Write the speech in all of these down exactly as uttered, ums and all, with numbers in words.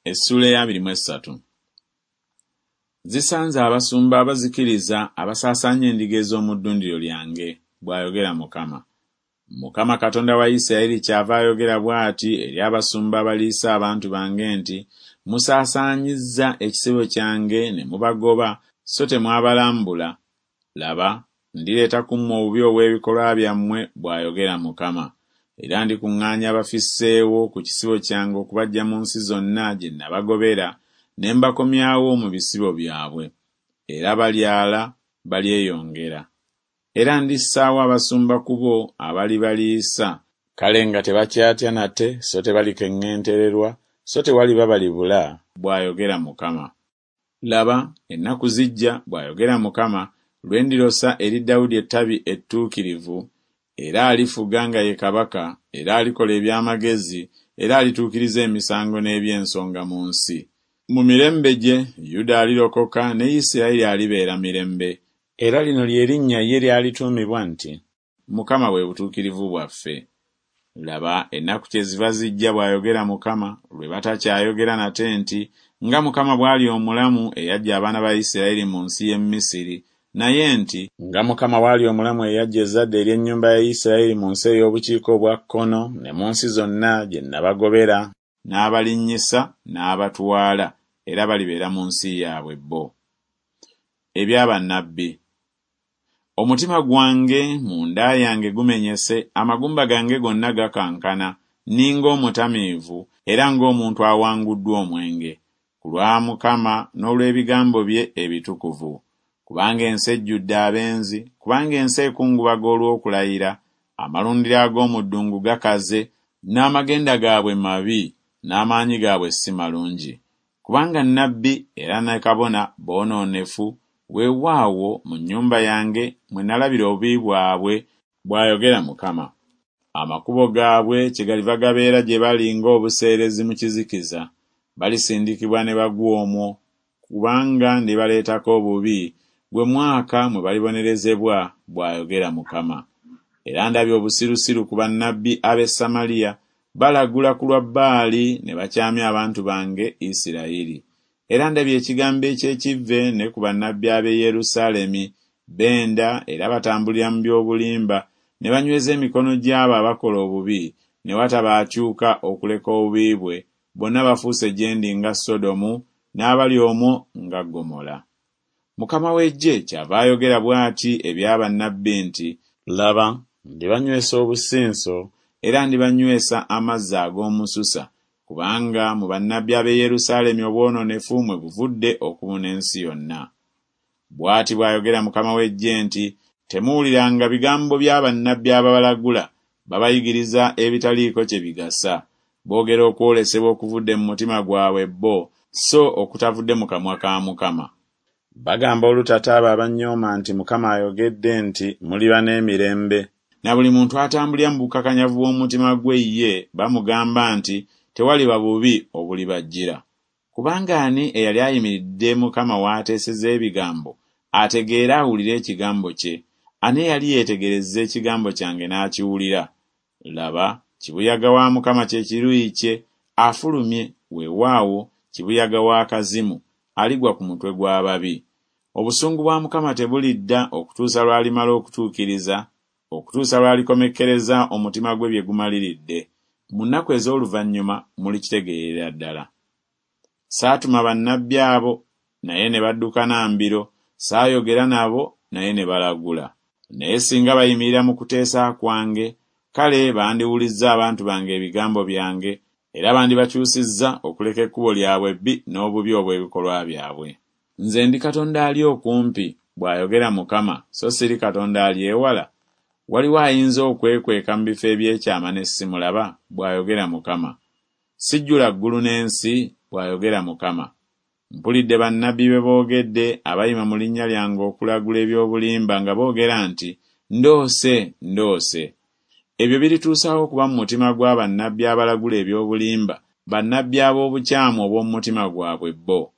Essuula ey'abiri mu essatu. Zisanze abasumba abazikiriza abasaasaanya endiga ez'omu ddundiro lyange, bw'ayogera Mukama. Mukama Katonda wa Isirayiri kyava ayogera bw'ati eri abasumba abaliisa abantu bange nti, Musaasaanyizza ekisibo kyange ne mubagoba, so temwabalambula. Laba, ndireeta ku mmwe obubi obw'ebikolwa byammwe, bw'ayogera Mukama. Era ndikuŋŋaanya abafisseewo ku kisibo kyange okubaggya mu nsi zonna gye nabagobera, ne mbakomyawo mu bisibo byabwe. Era balyala, balyeyongera. Era ndissaawo abasumba ku bo abalibaliisa, kale nga tebakyatya nate, so tebalikeŋŋentererwa, so tewaliba balibula, bw'ayogera Mukama. Laba, ennaku zijja, bw'ayogera Mukama, lwe ndirosa eri Dawudi ettabi ettuukirivu, era alifuga nga ye kabaka, era alikola eby'amagezi, era alituukiriza emisango n'eby'ensonga mu nsi. Mu mirembe gye Yuda alirokoka ne Isirayiri alibeera mirembe. Era lino lye linnya ye ly'alituumibwa nti, Mukama bwe butuukirivu bwaffe. Laba, ennaku kyeziva zijja, bw'ayogera Mukama, lwe batakyayogera nate nti, Nga Mukama bw'ali omulamu eyaggya abaana ba Isirayiri mu nsi y'e Misiri, naye nti, Nga Mukama bw'ali omulamu eyaggya ezzadde ery'ennyumba ya Isirayiri mu nsi ey'obukiika obwa kkono ne mu nsi zonna gye nabagobera, n'abalinnyisa n'abatwala, era balibeera mu nsi yaabwe bo. Ebya bannabbi. Omutima gwange munda yange gumenyese, amagumba gange gonna gakankana, nninga omutamiivu era ng'omuntu awanguddwa omwenge, ku lwa Mukama n'olw'ebigambo bye ebitukuvu. Kubanga ensi ejjudde abenzi, kubanga ensi ekungubaga olw'okulayira, amalundiro ag'omu ddungu gakaze, n'amagenda gaabwe mabi, n'amaanyi gaabwe si malungi. Kubanga nnabbi era ne kabona boonoonefu, weewaawo mu nnyumba yange mwe nalabira obubi bwabwe, bw'ayogera Mukama. Amakubo gaabwe kyegaliva gabeera gye bali ng'obuseerezi mu kizikiza, balisindikibwa ne bagwa omwo, kubanga ndibaleetako obubi, gwe mwaka mwe balibonerezebwa, bw'ayogera Mukama. Era ndabye obusirusiru ku bannabbi ab'e Samaliya, balagula ku lwa Baali ne bakyamya abantu bange Isirayiri. Era ndabye ekigambo eky'ekivve ne ku bannabbi ab'e Yerusaalemi, benda era batambulira mu by'obulimba, ne banyweza emikono gy'abo abakola obubi, ne wataba akyuka okuleka obubi bwe, bonna bafuuse gye ndi nga Sodomu, n'abali omwo nga Ggomola. Mukama w'eggye kyava ayogera bw'ati ebya bannabbi nti, Laba, ndibanywesa obusinso, era ndibanywesa amazzi ag'omususa, kubanga mu bannabbi ab'e Yerusaalemi obwonoonefu mwe buvudde okubuna ensi yonna. Bw'ati bw'ayogera Mukama w'eggye nti, Temuwuliranga bigambo bya bannabbi ababalagula, babayigiriza ebitaliiko kye bigasa. Boogera okwolesebwa okuvudde mu mutima gwabwe bo, so okutavudde mu kamwa ka Mukama. Bagamba olutata abo abannyooma nti Mukama ayogedde nti, Muliba n'emirembe. Na buli muntu atambulira mu bukakanyavu bw'omutima gwe ye bamugamba nti, Tewaliba bubi obulibajjira. Kubanga ani eyali ayimiridde Mukama w'ateeseza ebigambo, ategeere awulire ekigambo kye? Ani eyali yeetegerezza ekigambo kyange n'akiwulira? Laba, kibuyaga wa Mukama kye kiruyi kye, afulumye, weewaawo, kibuyaga w'akazimu, aligwa ku mutwe gw'ababi. Obusungu bwa Mukama tebulidda okutuusa lw'alimala okutuukiriza, okutuusa lw'alikomekkereza omutima gwe bye gumaliridde. Mu nnaku ez'oluvannyuma mulikitegeerera ddala. Saatuma bannabbi abo, naye ne baddukana mbiro, saayogera nabo, naye ne balagula. Naye singa bayimirira mu kuteesa kwange, kale bandiwulizza abantu bange ebigambo byange, era bandibakyusizza okuleka ekkubo lyabwe ebbi n'obubi obw'ebikolwa byabwe. Nze ndi Katonda ali okumpi, bw'ayogera Mukama, so siri Katonda ali ewala. Waliwo ayinza okwekweka mu bifo eby'ekyama ne simulaba, bw'ayogera Mukama. Sijjula ggulu n'ensi, bw'ayogera Mukama. Mpulidde bannabbi be boogedde abayima mu linnya lyange okulagula eby'obulimba nga boogera nti, Ndoose, ndoose. Ebyo birituusaawo okuba mu mutima gwa bannabbi abalagula eby'obulimba, bannabbi ab'obukyamu obw'omu mutima gwabwe bo,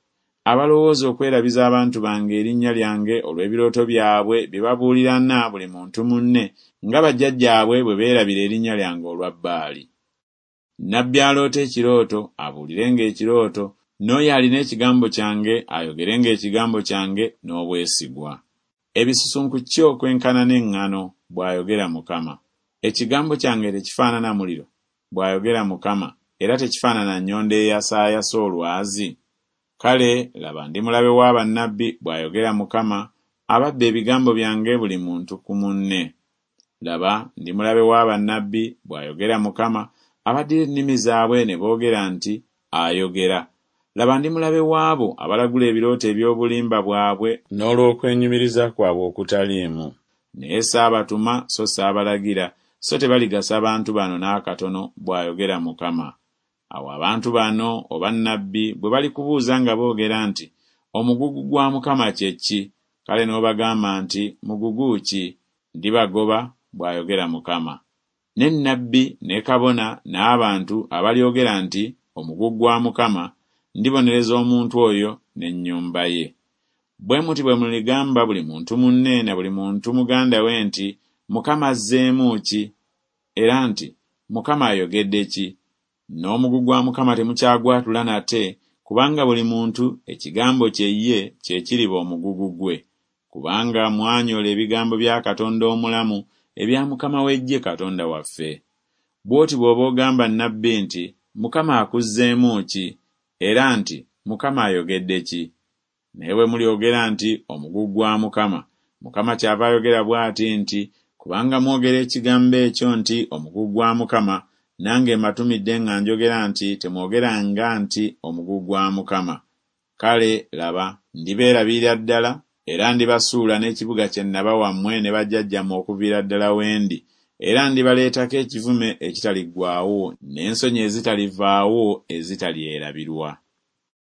abalowooza okwerabiza abantu bange erinnya lyange olw'ebirooto byabwe bye babuulirana buli muntu munne, nga bajjajjaabwe bwe beerabira erinnya lyange olwa Baali. Nnabbi aloota ekirooto abuulirenga ekirooto, N'oyo alina ekigambo kyange ayogerenga ekigambo kyange n'obwesigwa. Ebisusunku ki okwenkana n'eŋŋano, bw'ayogera Mukama. Ekigambo kyange tekifaanana muliro, bw'ayogera Mukama, era tekifaanana nnyondo eyasaayasa olwazi? Kale laba ndi mulabe wa bannabbi, bw'ayogera Mukama, ababba ebigambo byange buli muntu ku munne. Laba ndi mulabe wa bannabbi, bw'ayogera Mukama, abaddira ennimi zaabwe ne boogera nti, Ayogera. Laba ndi mulabe w'abo abalagula ebirooto eby'obulimba bwabwe n'olw'okwenyumiriza kwabwe okutaliimu. Naye saabatuma so saabalagira, so tebaligasa bantu bano n'akatono, bw'ayogera Mukama. Awo abantu bano oba nnabbi bwe balikubuuza nga boogera nti, Omugugu gwa Mukama kye ki? Kale n'obagamba nti, Mugugu ki? Ndibagoba, bw'ayogera Mukama. Ne nnabbi ne kabona n'abantu abalyogera nti, Omugugu gwa Mukama, ndibonereza omuntu oyo n'ennyumba ye. Bwe muti bwe muligamba buli muntu munne na buli muntu muganda we nti, Mukama azzeemu ki? Era nti, Mukama ayogedde ki? N'omugugu gwa Mukama temukyagwatula nate, kubanga buli muntu ekigambo kye ye kye kiriba omugugu gwe. Kubanga mwanyola ebigambo bya Katonda omulamu ebya Mukama w'eggye Katonda waffe. Bw'oti bw'oba ogamba nnabbi nti, Mukama akuzzeemu ki? Era nti, Mukama ayogedde ki? Naye bwe mulyogera nti, Omugugu gwa Mukama, Mukama kyava ayogera bw'ati nti, Kubanga mwogera ekigambo ekyo nti, Omugugu gwa Mukama, nange mbatumidde nga njogera nti, Temwogeranga nti, Omugugu gwa Mukama. Kale laba, ndibeerabirira ddala, era ndibasuula n'ekibuga kye nabawa mmwe ne bajjajjammwe okuviira ddala we ndi, era ndibaleetako ekivume ekitaliggwaawo n'ensonyi ezitalivaawo ezitalyerabirwa.